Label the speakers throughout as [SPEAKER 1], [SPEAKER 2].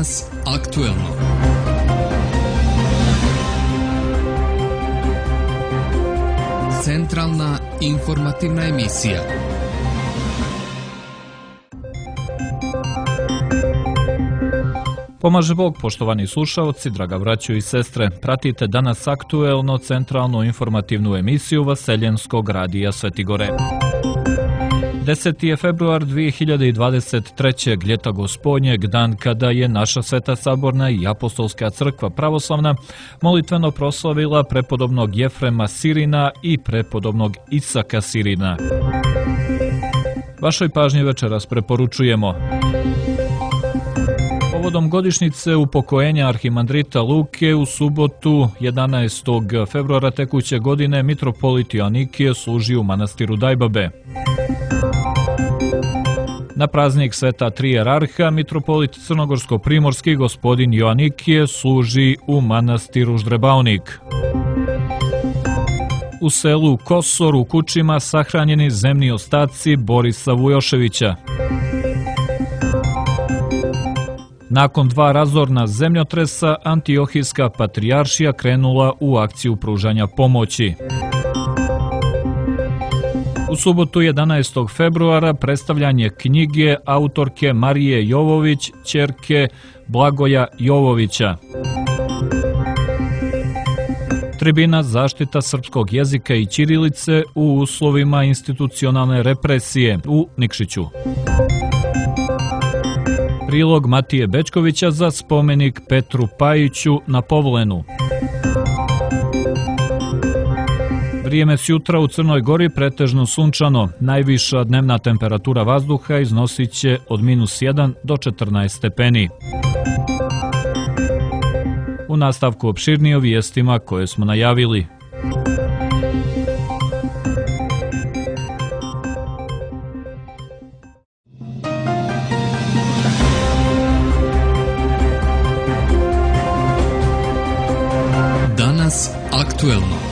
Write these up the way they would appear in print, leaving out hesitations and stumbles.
[SPEAKER 1] Danas aktuelno. Centralna informativna emisija.
[SPEAKER 2] Pomaže Bog, poštovani slušaoci, draga braćo i sestre. Pratite Danas aktuelno centralnu informativnu emisiju Vaseljenskog radija Svetigore. 10. je februar 2023. ljeta Gospodnjeg, dan kada je naša Sveta Saborna i Apostolska crkva pravoslavna molitveno proslavila prepodobnog Jefrema Sirina i prepodobnog Isaka Sirina. Vašoj pažnji večeras preporučujemo: povodom godišnjice upokojenja arhimandrita Luke u subotu 11. februara tekuće godine mitropolit Joanikije služi u manastiru Dajbabe. Na praznik Sveta Tri jerarha mitropolit Crnogorsko-primorski gospodin Joanikije služi u manastiru Ždrebaonik. U selu Kosor u Kučima sahranjeni zemni ostaci Borisa Vujoševića. Nakon 2 razorna zemljotresa, Antiohijska patrijaršija krenula u akciju pružanja pomoći. U subotu 11. februara predstavljanje knjige autorke Marije Jovović, ćerke Blagoja Jovovića. Tribina zaštita srpskog jezika i ćirilice u uslovima institucionalne represije u Nikšiću. Prilog Matije Bečkovića za spomenik Petru Pajiću na Povlenu. Vrijeme s jutra u Crnoj Gori pretežno sunčano. Najviša dnevna temperatura vazduha iznosit će od -1 do 14 stepeni. U nastavku opširnije o vijestima koje smo najavili.
[SPEAKER 1] Danas aktuelno.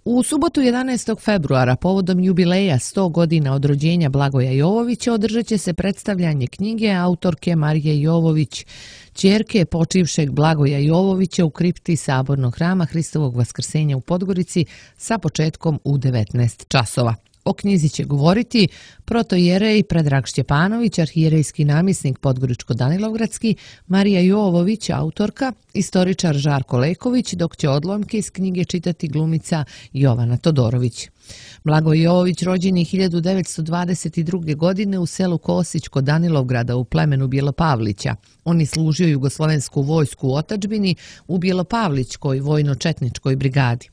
[SPEAKER 3] U subotu 11. februara povodom jubileja 100 godina od rođenja Blagoja Jovovića održat će se predstavljanje knjige autorke Marije Jovović, ćerke počivšeg Blagoja Jovovića u kripti Sabornog hrama Hristovog Vaskrsenja u Podgorici sa početkom u 19 časova. O knjizi će govoriti protojerej Predrag Šćepanović, arhijerejski namjesnik Podgoričko-Danilovgradski, Marija Jovović, autorka, istoričar Žarko Leković, dok će odlomke iz knjige čitati glumica Jovana Todorović. Blagoje Jovović rođen je 1922. godine u selu Kosić kod Danilovgrada u plemenu Bjelopavlića. On je služio jugoslovensku vojsku u otadžbini u Bjelopavlićkoj vojno-četničkoj brigadi.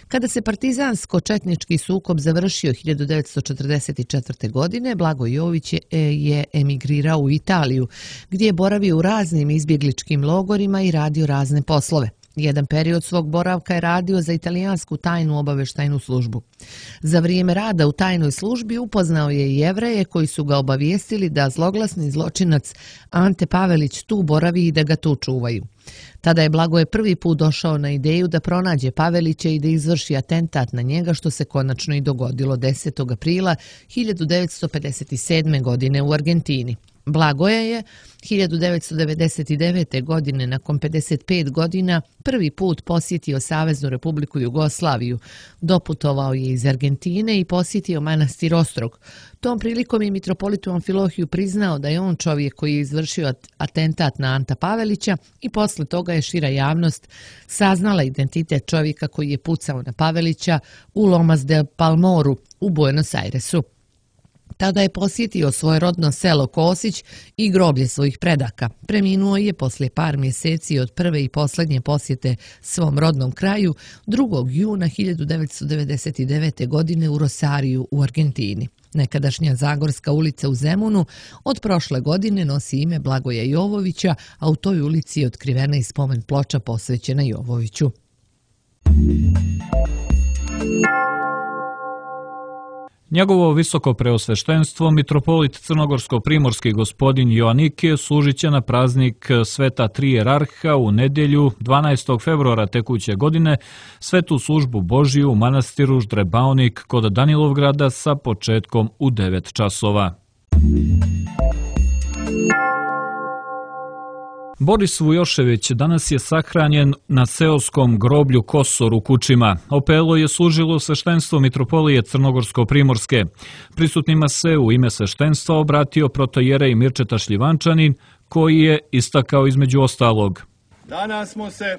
[SPEAKER 3] Kada se partizansko-četnički sukob završio 1944. godine, Blagoje Jovović je emigrirao u Italiju, gdje je boravio u raznim izbjegličkim logorima i radio razne poslove. Jedan period svog boravka je radio za italijansku tajnu obavještajnu službu. Za vrijeme rada u tajnoj službi upoznao je i Jevreje koji su ga obavijestili da zloglasni zločinac Ante Pavelić tu boravi i da ga tu čuvaju. Tada je Blagoje prvi put došao na ideju da pronađe Pavelića i da izvrši atentat na njega, što se konačno i dogodilo 10. aprila 1957. godine u Argentini. Blagoje je 1999. godine, nakon 55 godina, prvi put posjetio Saveznu Republiku Jugoslaviju. Doputovao je iz Argentine i posjetio manastir Ostrog. Tom prilikom je mitropolitu Amfilohiju priznao da je on čovjek koji je izvršio atentat na Anta Pavelića i posle toga je šira javnost saznala identitet čovjeka koji je pucao na Pavelića u Lomas de Palmoru u Buenos Airesu. Tada je posjetio svoje rodno selo Kosić i groblje svojih predaka. Preminuo je poslije par mjeseci od prve i posljednje posjete svom rodnom kraju 2. juna 1999. godine u Rosariju u Argentini. Nekadašnja Zagorska ulica u Zemunu od prošle godine nosi ime Blagoja Jovovića, a u toj ulici je otkrivena i spomen ploča posvećena Jovoviću.
[SPEAKER 2] Njegovo visoko preosveštenstvo, mitropolit Crnogorsko-primorski gospodin Joanikije, služit će na praznik Sveta Tri jerarha u nedjelju 12. februara tekuće godine svetu službu Božiju u manastiru Ždrebaonik kod Danilovgrada sa početkom u 9 časova. Boris Vujošević danas je sahranjen na seoskom groblju Kosor u Kučima. Opelo je služilo sveštenstvo Mitropolije Crnogorsko-Primorske. Prisutnima se u ime sveštenstva obratio protojerej Mirčeta Šljivančanin, koji je istakao između ostalog:
[SPEAKER 4] Danas smo se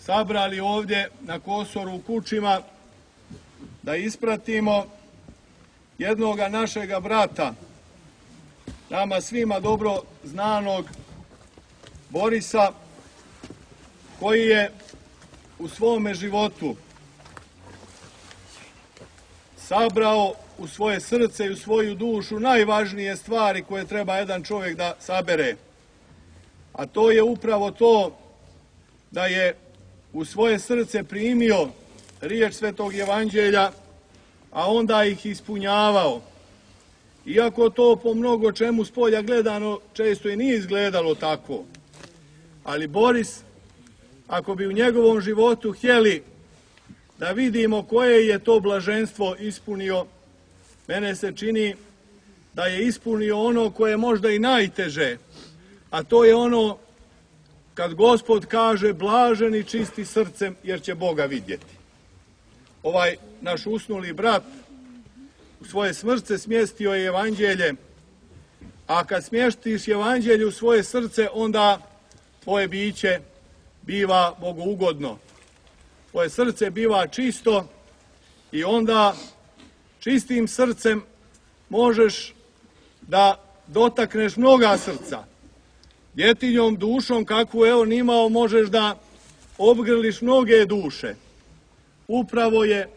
[SPEAKER 4] sabrali ovdje na Kosoru u Kučima da ispratimo jednoga našega brata, nama svima dobro znanog Borisa, koji je u svome životu sabrao u svoje srce i u svoju dušu najvažnije stvari koje treba jedan čovjek da sabere. A to je upravo to da je u svoje srce primio riječ Svetog Evanđelja, a onda ih ispunjavao. Iako to po mnogo čemu s polja gledano često i nije izgledalo tako. Ali Boris, ako bi u njegovom životu htjeli da vidimo koje je to blaženstvo ispunio, mene se čini da je ispunio ono koje je možda i najteže, a to je ono kad Gospod kaže blaženi čisti srcem jer će Boga vidjeti. Ovaj naš usnuli brat u svoje srce smjestio je evanđelje, a kad smjestiš evanđelje u svoje srce, onda tvoje biće biva bogougodno. Tvoje srce biva čisto i onda čistim srcem možeš da dotakneš mnoga srca. Djetinjom dušom kakvu je on imao možeš da obgrliš mnoge duše. Upravo je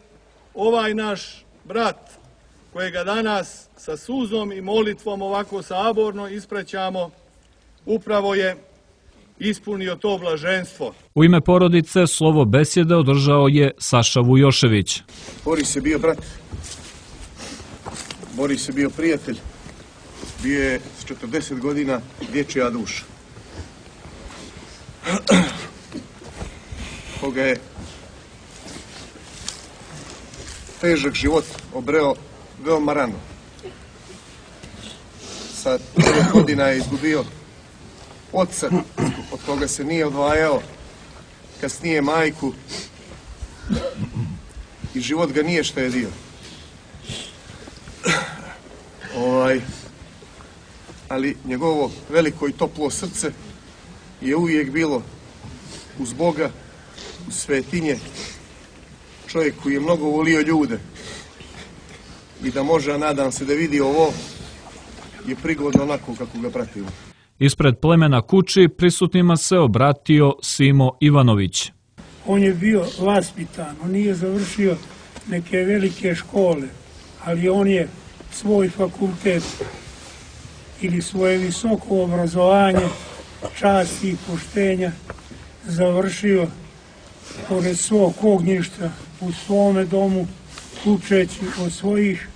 [SPEAKER 4] ovaj naš brat, kojega danas sa suzom i molitvom ovako saborno ispraćamo, upravo je ispunio to blaženstvo.
[SPEAKER 2] U ime porodice slovo besjede održao je Saša Vujošević.
[SPEAKER 4] Boris je bio brat, Boris je bio prijatelj, bio je s 40 godina dječja duša. Koga je težak život obreo veoma rano. Sa 9 godina je izgubio oca, od koga se nije odvajao, kasnije majku, i život ga nije štedio. Ali njegovo veliko i toplo srce je uvijek bilo uz Boga, uz svetinje, čovjek koji je mnogo volio ljude i da može, a nadam se da vidi ovo, je prigodno onako kako ga pratimo.
[SPEAKER 2] Ispred plemena Kuči prisutnima se obratio Simo Ivanović.
[SPEAKER 5] On je bio vaspitan, on nije završio neke velike škole, ali on je svoj fakultet ili svoje visoko obrazovanje, časti i poštenja završio pored svog ognjišta u svome domu, učeći od svojih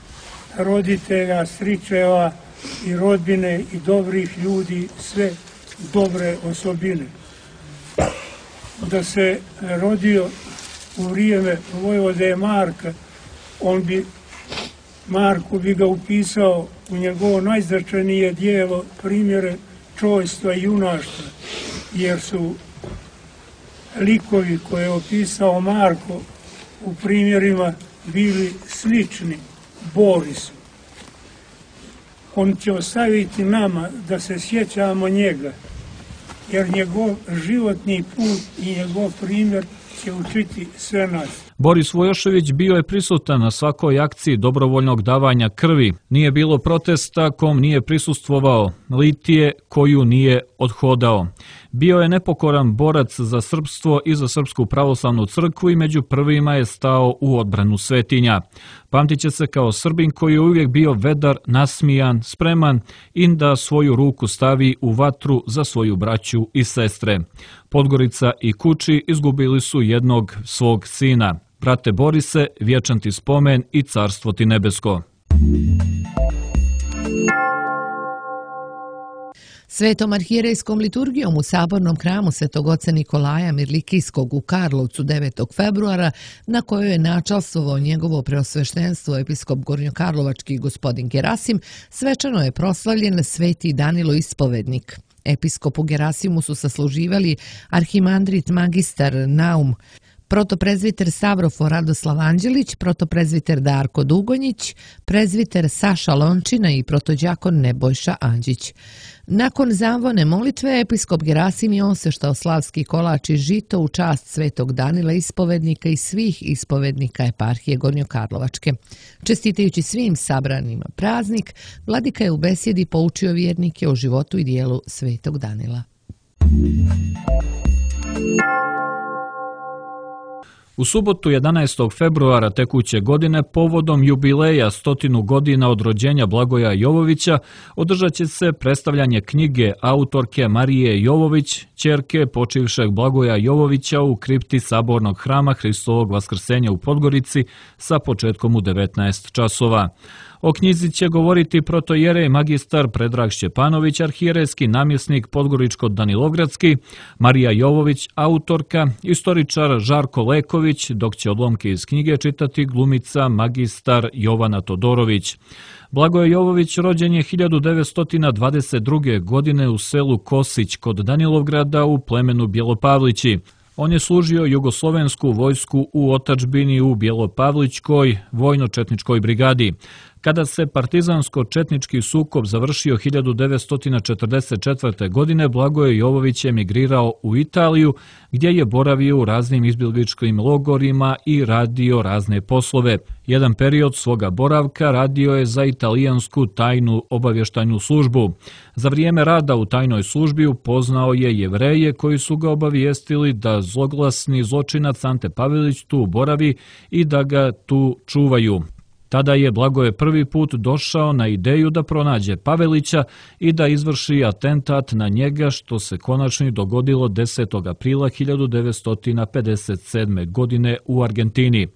[SPEAKER 5] roditelja, stričeva i rodbine i dobrih ljudi sve dobre osobine. Da se rodio u vrijeme vojvode Marka, Marko bi ga upisao u njegovo najznačajnije dijelo primjere čojstva i junaštva, jer su likovi koje je opisao Marko u primjerima bili slični Borisu. On će ostaviti nama da se sjećamo njega, jer njegov životni put i njegov primjer će učiti sve nas.
[SPEAKER 2] Boris Vujošević bio je prisutan na svakoj akciji dobrovoljnog davanja krvi. Nije bilo protesta kom nije prisustvovao, litije koju nije odhodao. Bio je nepokoran borac za srpstvo i za Srpsku pravoslavnu crkvu i među prvima je stao u odbranu svetinja. Pamtit će se kao Srbin koji je uvijek bio vedar, nasmijan, spreman i da svoju ruku stavi u vatru za svoju braću i sestre. Podgorica i Kuči izgubili su jednog svog sina. Brate Borise, vječan ti spomen i carstvo ti nebesko.
[SPEAKER 3] Svetom arhijerejskom liturgijom u sabornom hramu Svetog oca Nikolaja Mirlikijskog u Karlovcu 9. februara, na kojoj je načalstvovao njegovo preosveštenstvo episkop Gornjokarlovački gospodin Gerasim, svečano je proslavljen sveti Danilo Ispovednik. Episkopu Gerasimusu sasluživali arhimandrit magistar Naum, protoprezviter Savrofo Radoslav Anđelić, protoprezviter Darko Dugonjić, prezviter Saša Lončina i protođakon Nebojša Anđić. Nakon zavone molitve, episkop Gerasim je oseštao slavski kolač i žito u čast Svetog Danila ispovednika i svih ispovednika eparhije Gornjokarlovačke. Čestitajući svim sabranima praznik, vladika je u besjedi poučio vjernike o životu i dijelu Svetog Danila.
[SPEAKER 2] U subotu 11. februara tekuće godine povodom jubileja 100 godina od rođenja Blagoja Jovovića održat će se predstavljanje knjige autorke Marije Jovović, ćerke počivšeg Blagoja Jovovića u kripti Sabornog hrama Hristovog Vaskrsenja u Podgorici sa početkom u 19 časova. O knjizi će govoriti protojerej magistar Predrag Šćepanović, arhijerejski namjesnik Podgoričko-Danilovgradski, Marija Jovović, autorka, istoričar Žarko Leković, dok će odlomke iz knjige čitati glumica magistar Jovana Todorović. Blagoje Jovović rođen je 1922. godine u selu Kosić kod Danilovgrada u plemenu Bjelopavlići. On je služio jugoslovensku vojsku u otadžbini u Bjelopavlićkoj vojno-četničkoj brigadi. Kada se partizansko-četnički sukob završio 1944. godine, Blagoje Jovović emigrirao u Italiju, gdje je boravio u raznim izbjegličkim logorima i radio razne poslove. Jedan period svoga boravka radio je za italijansku tajnu obavještajnu službu. Za vrijeme rada u tajnoj službi upoznao je Jevreje koji su ga obavijestili da zloglasni zločinac Ante Pavelić tu boravi i da ga tu čuvaju. Tada je Blagoje prvi put došao na ideju da pronađe Pavelića i da izvrši atentat na njega, što se konačno dogodilo 10. aprila 1957. godine u Argentini.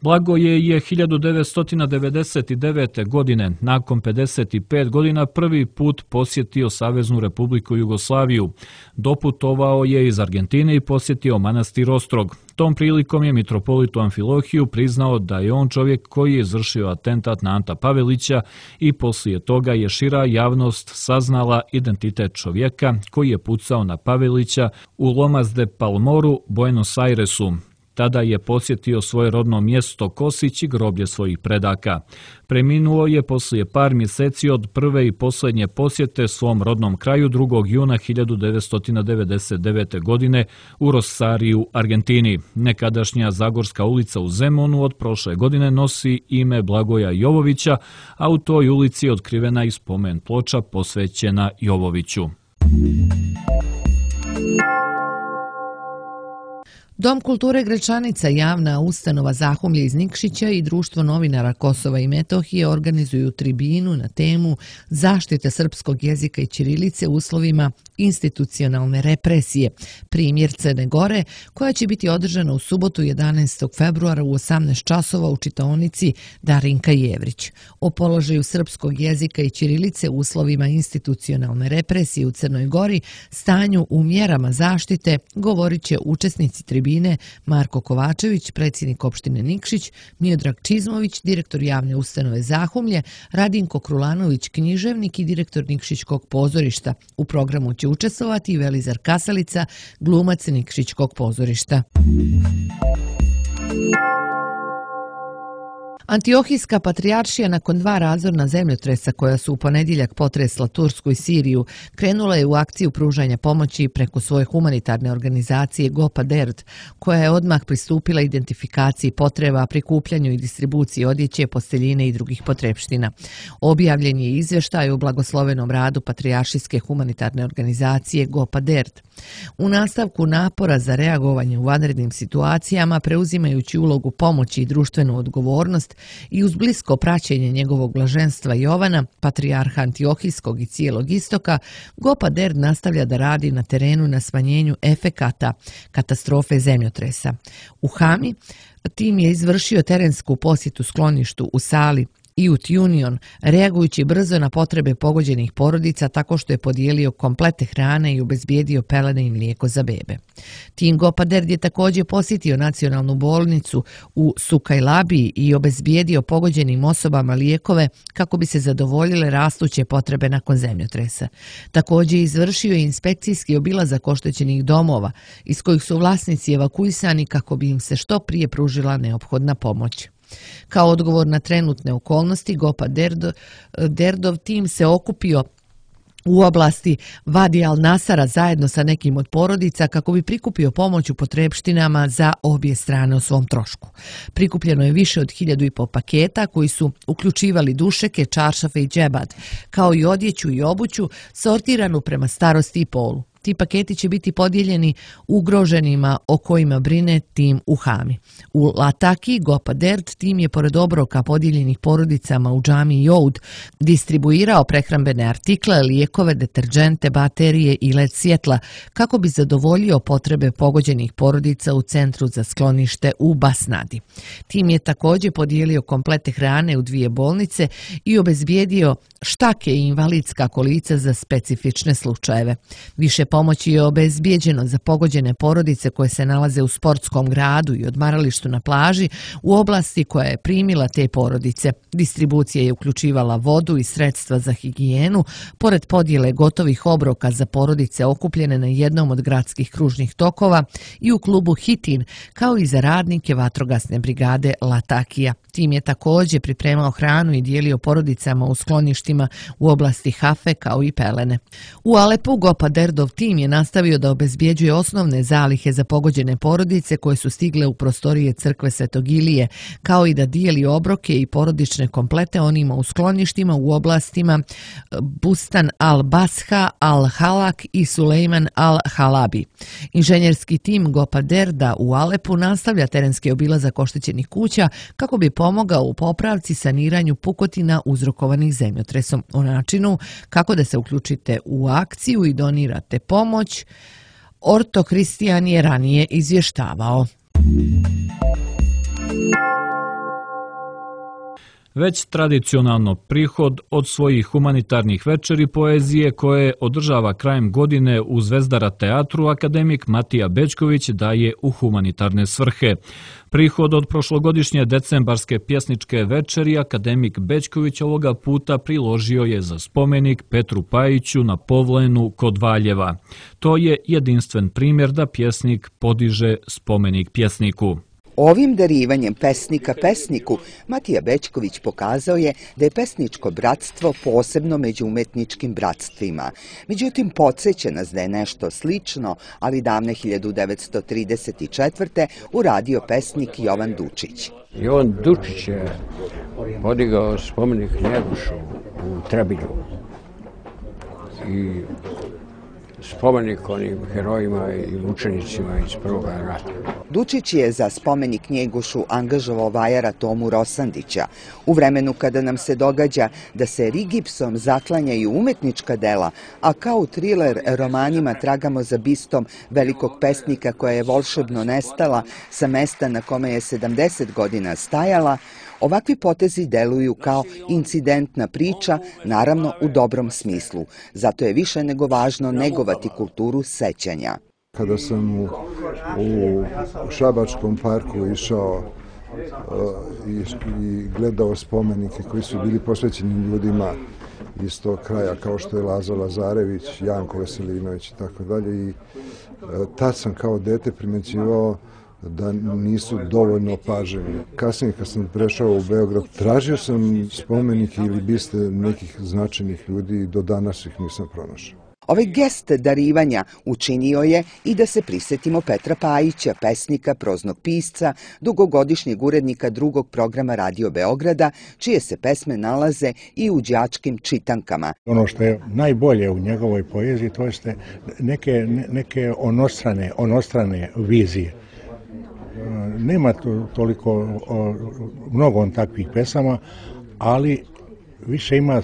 [SPEAKER 2] Blagoje je 1999. godine, nakon 55 godina, prvi put posjetio Saveznu Republiku Jugoslaviju. Doputovao je iz Argentine i posjetio manastir Ostrog. Tom prilikom je mitropolitu Amfilohiju priznao da je on čovjek koji je izvršio atentat na Anta Pavelića i poslije toga je šira javnost saznala identitet čovjeka koji je pucao na Pavelića u Lomas de Palmoru, Buenos Airesu. Tada je posjetio svoje rodno mjesto Kosić i groblje svojih predaka. Preminuo je poslije par mjeseci od prve i posljednje posjete svom rodnom kraju 2. juna 1999. godine u Rosariju, Argentini. Nekadašnja Zagorska ulica u Zemunu od prošle godine nosi ime Blagoja Jovovića, a u toj ulici je otkrivena i spomen ploča posvećena Jovoviću.
[SPEAKER 3] Dom kulture Gračanica, javna ustanova Zahumlje iz Nikšića i Društvo novinara Kosova i Metohije organizuju tribinu na temu zaštite srpskog jezika i ćirilice u uslovima institucionalne represije, primjer Crne Gore, koja će biti održana u subotu 11. februara u 18 časova u čitaonici Darinka Jevrić. O položaju srpskog jezika i ćirilice u uslovima institucionalne represije u Crnoj Gori, stanju u mjerama zaštite, govorit će učesnici tribine Marko Kovačević, predsjednik opštine Nikšić, Miodrag Čizmović, direktor javne ustanove Zahumlje, Radinko Krulanović, književnik i direktor Nikšićkog pozorišta. U programu će učestvovati i Velizar Kasalica, glumac Nikšićkog pozorišta. Antiohijska patrijaršija nakon 2 razorna zemljotresa koja su u ponedjeljak potresla Tursku i Siriju krenula je u akciju pružanja pomoći preko svoje humanitarne organizacije Gopa Derd, koja je odmah pristupila identifikaciji potreba, prikupljanju i distribuciji odjeće, posteljine i drugih potrepština. Objavljen je izvještaj o blagoslovenom radu patrijaršijske humanitarne organizacije Gopa Derd. U nastavku napora za reagovanje u vanrednim situacijama, preuzimajući ulogu pomoći i društvenu odgovornost i uz blisko praćenje njegovog blaženstva Jovana, patrijarha Antiohijskog i cijelog istoka, Gopa Derd nastavlja da radi na terenu na smanjenju efekata katastrofe zemljotresa. U Hami tim je izvršio terensku posjetu skloništu u Sali, Youth Union, reagujući brzo na potrebe pogođenih porodica tako što je podijelio komplete hrane i obezbijedio pelene i mlijeko za bebe. Tim Gopa Derd je također posjetio nacionalnu bolnicu u Sukajlabiji i obezbijedio pogođenim osobama lijekove kako bi se zadovoljile rastuće potrebe nakon zemljotresa. Također izvršio je inspekcijski obilazak oštećenih domova iz kojih su vlasnici evakuisani kako bi im se što prije pružila neophodna pomoć. Kao odgovor na trenutne okolnosti, Gopa Derdov tim se okupio u oblasti Vadi al-Nasara zajedno sa nekim od porodica kako bi prikupio pomoć u potrepštinama za obje strane o svom trošku. Prikupljeno je više od 1500 paketa koji su uključivali dušeke, čaršafe i džebad, kao i odjeću i obuću sortiranu prema starosti i polu. Ti paketi će biti podijeljeni ugroženima o kojima brine tim u Hami. U Lataki, Gopa Derd tim je pored obroka podijeljenih porodicama u džamiji Joud distribuirao prehrambene artikle, lijekove, deterđente, baterije i led svjetla kako bi zadovoljio potrebe pogođenih porodica u centru za sklonište u Basnadi. Tim je također podijelio komplete hrane u 2 bolnice i obezbijedio štake i invalidska kolica za specifične slučajeve. Više pomoći je obezbijeđeno za pogođene porodice koje se nalaze u sportskom gradu i odmaralištu na plaži u oblasti koja je primila te porodice. Distribucija je uključivala vodu i sredstva za higijenu, pored podjele gotovih obroka za porodice okupljene na jednom od gradskih kružnih tokova i u klubu Hitin, kao i za radnike vatrogasne brigade Latakija. Tim je također pripremao hranu i dijelio porodicama u skloništima u oblasti Hafe kao i pelene. U Alepu Gopa Derdov tim je nastavio da obezbjeđuje osnovne zalihe za pogođene porodice koje su stigle u prostorije crkve Svetog Ilije, kao i da dijeli obroke i porodične komplete onima u skloništima u oblastima Bustan al-Basha, al-Halak i Sulejman al-Halabi. Inženjerski tim Gopa Derda u Alepu nastavlja terenski obilazak oštećenih kuća kako bi pomogao u popravci saniranju pukotina uzrokovanih zemljotresom. O načinu kako da se uključite u akciju i donirate pomoć, Orto Kristijan je ranije izvještavao.
[SPEAKER 2] Već tradicionalno prihod od svojih humanitarnih večeri poezije koje održava krajem godine u Zvezdara teatru akademik Matija Bećković daje u humanitarne svrhe. Prihod od prošlogodišnje decembarske pjesničke večeri akademik Bećković ovoga puta priložio je za spomenik Petru Pajiću na Povlenu kod Valjeva. To je jedinstven primjer da pjesnik podiže spomenik pjesniku.
[SPEAKER 6] Ovim darivanjem pesnika pesniku Matija Bećković pokazao je da je pesničko bratstvo posebno među umetničkim bratstvima. Međutim, podsjeća nas da je nešto slično, ali davne 1934. uradio pesnik Jovan Dučić.
[SPEAKER 7] Jovan Dučić je podigao spomenik Njegošu u Trebinju i spomenik onim herojima i mučenicima iz Prvog rata.
[SPEAKER 6] Dučić je za spomenik Njegošu angažovao vajara Tomu Rosandića. U vremenu kada nam se događa da se rigipsom zaklanjaju umetnička dela, a kao u triler romanima tragamo za bistom velikog pesnika koja je volšebno nestala sa mesta na kome je 70 godina stajala, ovakvi potezi deluju kao incidentna priča, naravno u dobrom smislu. Zato je više nego važno negovati kulturu sećanja.
[SPEAKER 8] Kada sam u Šabačkom parku išao i gledao spomenike koji su bili posvećeni ljudima iz tog kraja, kao što je Lazo Lazarević, Janko Veselinović i tako dalje, i tad sam kao dete primećivao da nisu dovoljno opaženi. Kasnije kad sam prešao u Beograd, tražio sam spomenike ili biste nekih značajnih ljudi i do danas ih nisam pronašao.
[SPEAKER 6] Ovaj gest darivanja učinio je i da se prisjetimo Petra Pajića, pesnika, proznog pisca, dugogodišnjeg urednika drugog programa Radio Beograda, čije se pesme nalaze i u đačkim čitankama.
[SPEAKER 9] Ono što je najbolje u njegovoj poeziji, to jeste neke onostrane vizije. Nema toliko mnogo on takvih pesama, ali više ima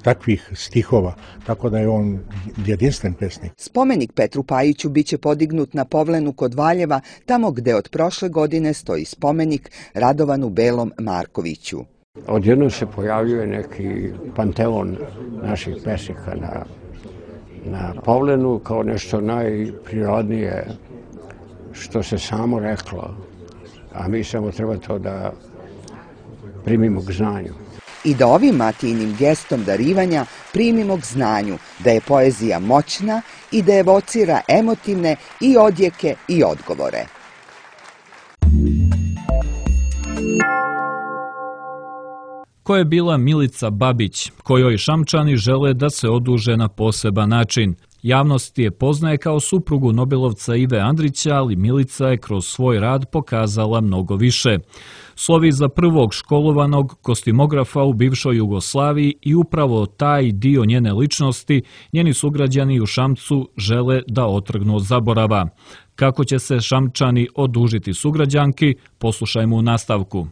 [SPEAKER 9] takvih stihova, tako da je on jedinstven pesnik.
[SPEAKER 6] Spomenik Petru Pajiću biće podignut na Povlenu kod Valjeva, tamo gde od prošle godine stoji spomenik Radovanu Belom Markoviću.
[SPEAKER 7] Odjednom se pojavljuje neki panteon naših pesnika na Pavlenu kao nešto najprirodnije što se samo reklo, a mi samo treba to da primimo k znanju.
[SPEAKER 6] I da ovim Matijinim gestom darivanja primimo k znanju da je poezija moćna i da evocira emotivne i odjeke i odgovore.
[SPEAKER 2] Ko je bila Milica Babić, kojoj Šamčani žele da se oduže na poseban način? Javnost je poznaje kao suprugu Nobelovca Ive Andrića, ali Milica je kroz svoj rad pokazala mnogo više. Slovi za prvog školovanog kostimografa u bivšoj Jugoslaviji i upravo taj dio njene ličnosti njeni sugrađani u Šamcu žele da otrgnu od zaborava. Kako će se Šamčani odužiti sugrađanki, poslušajmo u nastavku.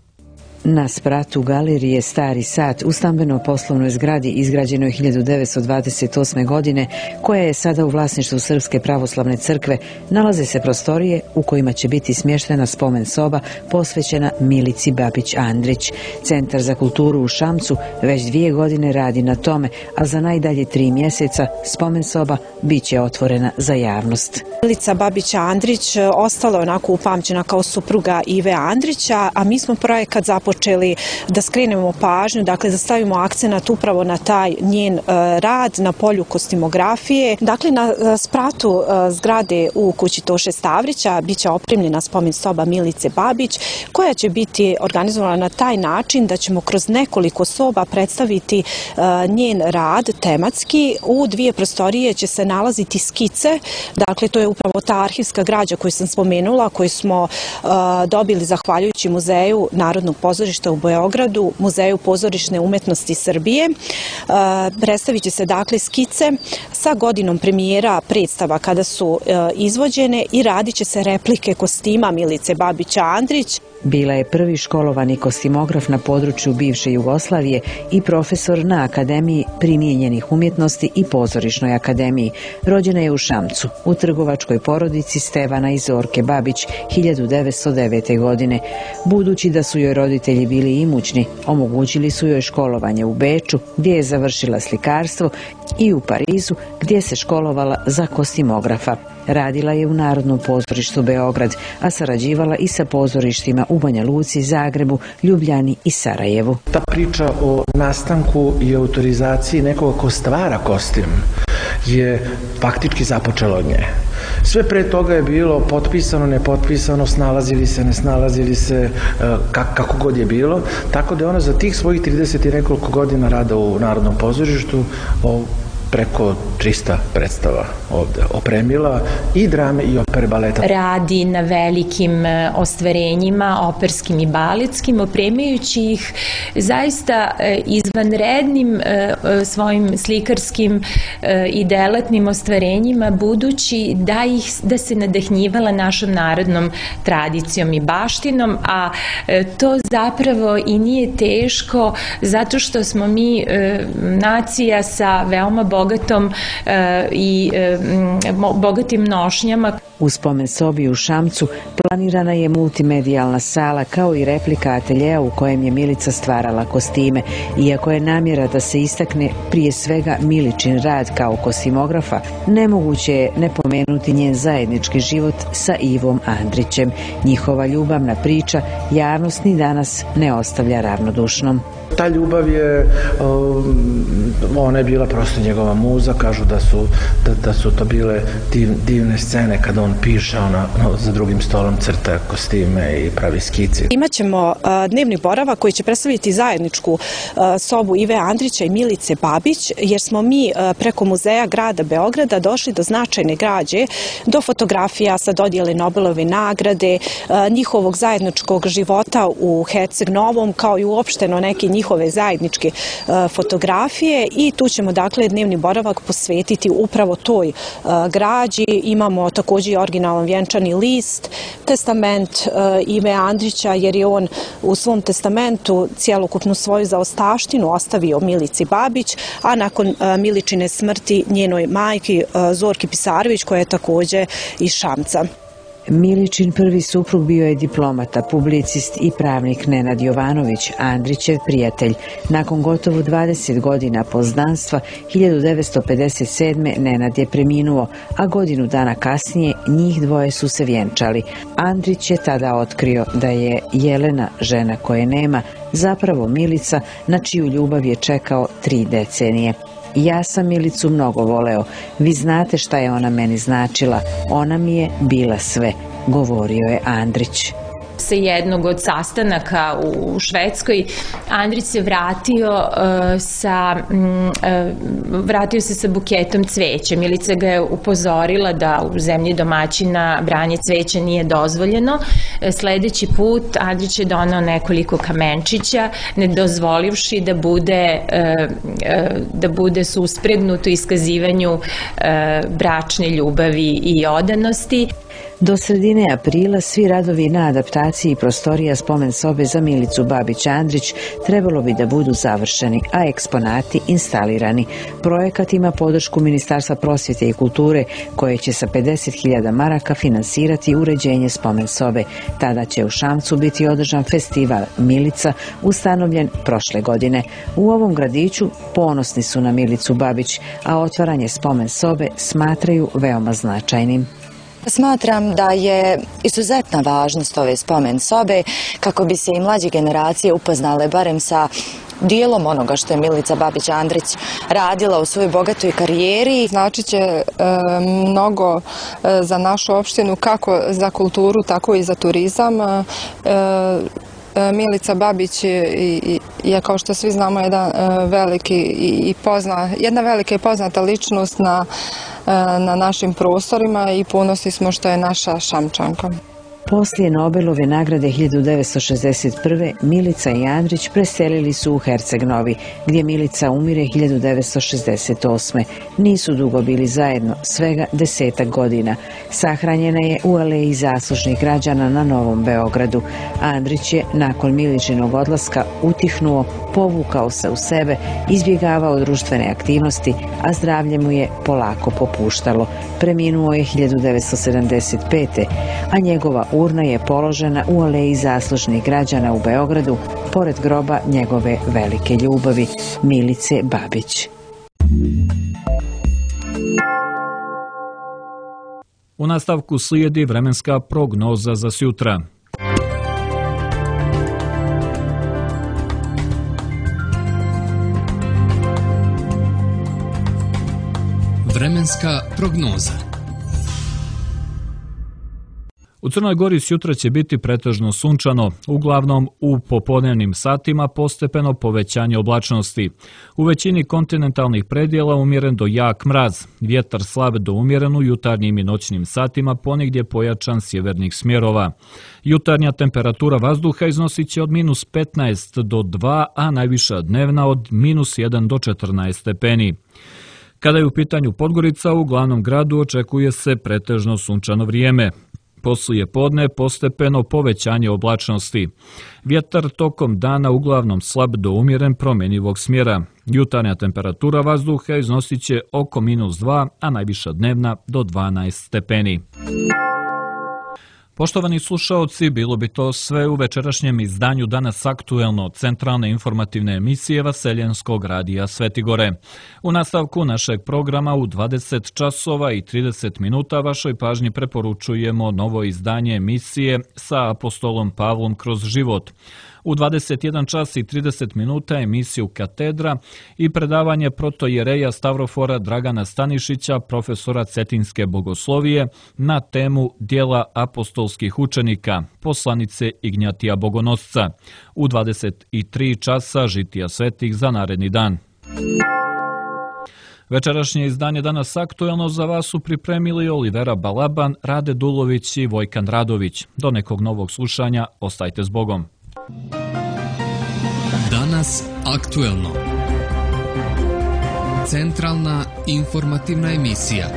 [SPEAKER 10] Na spratu galerije Stari sat u stambeno-poslovnoj zgradi izgrađenoj 1928. godine, koja je sada u vlasništvu Srpske pravoslavne crkve, nalaze se prostorije u kojima će biti smještena spomen soba posvećena Milici Babić Andrić. Centar za kulturu u Šamcu već 2 godine radi na tome, a za najdalje 3 mjeseca spomen soba bit će otvorena za javnost.
[SPEAKER 11] Milica Babić Andrić ostala je onako upamćena kao supruga Ive Andrića, a mi smo projekat započeli da skrenemo pažnju, dakle da stavimo akcenat upravo na taj njen rad na polju kostimografije. Dakle, na spratu zgrade u kući Toše Stavrića biće opremljena spomen soba Milice Babić, koja će biti organizovana na taj način da ćemo kroz nekoliko soba predstaviti njen rad tematski. U 2 prostorije će se nalaziti skice, dakle to je upravo ta arhivska građa koju sam spomenula, koju smo dobili zahvaljujući Muzeju Narodnog pozorišta u Beogradu, Muzeju pozorišne umetnosti Srbije. Predstavit će se dakle skice sa godinom premijera predstava kada su izvođene i radit će se replike kostima Milice Babića Andrić.
[SPEAKER 10] Bila je prvi školovani kostimograf na području bivše Jugoslavije i profesor na Akademiji primijenjenih umjetnosti i Pozorišnoj akademiji. Rođena je u Šamcu, u trgovačkoj porodici Stevana i Zorke Babić 1909. godine. Budući da su joj roditelji bili imućni, omogućili su joj školovanje u Beču, gdje je završila slikarstvo, i u Parizu, gdje se školovala za kostimografa. Radila je u Narodnom pozorištu Beograd, a sarađivala i sa pozorištima u Banja Luci, Zagrebu, Ljubljani i Sarajevu.
[SPEAKER 12] Ta priča o nastanku i autorizaciji nekoga ko stvara kostim je faktički započela od nje. Sve pre toga je bilo potpisano, nepotpisano, snalazili se, ne snalazili se, kako god je bilo. Tako da je ona za tih svojih 30 i nekoliko godina rada u Narodnom pozorištu preko 300 predstava ovde opremila, i drame i opere, baleta.
[SPEAKER 13] Radi na velikim ostvarenjima, operskim i baletskim, opremajući ih zaista izvanrednim svojim slikarskim i delatnim ostvarenjima, budući da se nadahnjivala našom narodnom tradicijom i baštinom, a to zapravo i nije teško, zato što smo mi nacija sa veoma bogatom i bogatim nošnjama.
[SPEAKER 10] U spomen sobi u Šamcu planirana je multimedijalna sala kao i replika ateljeja u kojem je Milica stvarala kostime. Iako je namjera da se istakne prije svega Miličin rad kao kostimografa, nemoguće je ne pomenuti njen zajednički život sa Ivom Andrićem. Njihova ljubavna priča javnost ni danas ne ostavlja ravnodušnom.
[SPEAKER 12] Ta ljubav je, ona je bila prosto njegova muza, kažu da su to bile divne scene kada on piše, ona za drugim stolom crta kostime i pravi skici.
[SPEAKER 11] Imaćemo dnevni boravak koji će predstaviti zajedničku sobu Ive Andrića i Milice Babić, jer smo mi preko Muzeja grada Beograda došli do značajne građe, do fotografija sa dodjele Nobelove nagrade, njihovog zajedničkog života u Herceg Novom, kao i uopšteno neke njihove zajedničke fotografije, i tu ćemo dakle dnevni boravak posvetiti upravo toj građi. Imamo također i originalan vjenčani list, testament Ive Andrića, jer je on u svom testamentu cjelokupnu svoju zaostavštinu ostavio Milici Babić, a nakon Miličine smrti njenoj majki Zorki Pisarović, koja je također iz Šamca.
[SPEAKER 10] Miličin prvi suprug bio je diplomata, publicist i pravnik Nenad Jovanović, Andrićev prijatelj. Nakon gotovo 20 godina poznanstva, 1957. Nenad je preminuo, a godinu dana kasnije njih dvoje su se vjenčali. Andrić je tada otkrio da je Jelena, žena koje nema, zapravo Milica, na čiju ljubav je čekao 3 decenije. Ja sam Milicu mnogo voleo. Vi znate šta je ona meni značila. Ona mi je bila sve, govorio je Andrić.
[SPEAKER 13] Sa jednog od sastanaka u Švedskoj Andrić se vratio se sa buketom cveća. Milica ga je upozorila da u zemlji domaćina branje cveća nije dozvoljeno. Sledeći put Andrić je donao nekoliko kamenčića, ne dozvolivši da bude suspregnut u iskazivanju bračne ljubavi i odanosti.
[SPEAKER 10] Do sredine aprila svi radovi na adaptaciji prostorija spomen sobe za Milicu Babić-Andrić trebalo bi da budu završeni, a eksponati instalirani. Projekat ima podršku Ministarstva prosvjete i kulture, koje će sa 50.000 maraka finansirati uređenje spomen sobe. Tada će u Šamcu biti održan festival Milica, ustanovljen prošle godine. U ovom gradiću ponosni su na Milicu Babić, a otvaranje spomen sobe smatraju veoma značajnim.
[SPEAKER 14] Smatram da je izuzetna važnost ove spomen sobe kako bi se i mlađe generacije upoznale barem sa dijelom onoga što je Milica Babić-Andrić radila u svojoj bogatoj karijeri.
[SPEAKER 15] Znači će mnogo za našu opštinu, kako za kulturu, tako i za turizam. Milica Babić je, kao što svi znamo, jedna velika i poznata ličnost na našim prostorima i ponosni smo što je naša Šamčanka.
[SPEAKER 10] Poslije Nobelove nagrade 1961. Milica i Andrić preselili su u Herceg-Novi, gdje Milica umire 1968. Nisu dugo bili zajedno, svega 10 godina. Sahranjena je u aleji zaslužnih građana na Novom Beogradu. Andrić je, nakon Miličinog odlaska, utihnuo, povukao se u sebe, izbjegavao društvene aktivnosti, a zdravlje mu je polako popuštalo. Preminuo je 1975. a njegova urna je položena u aleji zaslužnih građana u Beogradu, pored groba njegove velike ljubavi, Milice Babić.
[SPEAKER 2] U nastavku slijedi vremenska prognoza za sutra.
[SPEAKER 1] Vremenska prognoza.
[SPEAKER 2] U Crnoj Gori sutra će biti pretežno sunčano, uglavnom u popodnevnim satima postepeno povećanje oblačnosti. U većini kontinentalnih predjela umjeren do jak mraz, vjetar slab do umjeren u jutarnjim i noćnim satima, ponegdje pojačan sjevernih smjerova. Jutarnja temperatura vazduha iznosit će od -15 do 2, a najviša dnevna od -1 do 14 stepeni. Kada je u pitanju Podgorica, u glavnom gradu očekuje se pretežno sunčano vrijeme. Poslije podne postepeno povećanje oblačnosti. Vjetar tokom dana uglavnom slab do umjeren promjenjivog smjera. Jutarnja temperatura vazduha iznosit će oko -2, a najviša dnevna do 12 stepeni. Poštovani slušaoci, bilo bi to sve u večerašnjem izdanju Danas aktuelno, centralne informativne emisije Vaseljenskog radija Svetigore. U nastavku našeg programa u 20 časova i 30 minuta vašoj pažnji preporučujemo novo izdanje emisije Sa apostolom Pavlom kroz život. U 21 čas i 30 minuta emisiju Katedra i predavanje protojereja Stavrofora Dragana Stanišića, profesora Cetinske bogoslovije, na temu Djela apostolskih učenika, poslanice Ignjatija Bogonosca. U 23 časa žitija svetih za naredni dan. Večerašnje izdanje Danas aktuelno za vas su pripremili Olivera Balaban, Rade Dulović i Vojkan Radović. Do nekog novog slušanja, ostajte s Bogom.
[SPEAKER 1] Danas aktuelno. Centralna informativna emisija.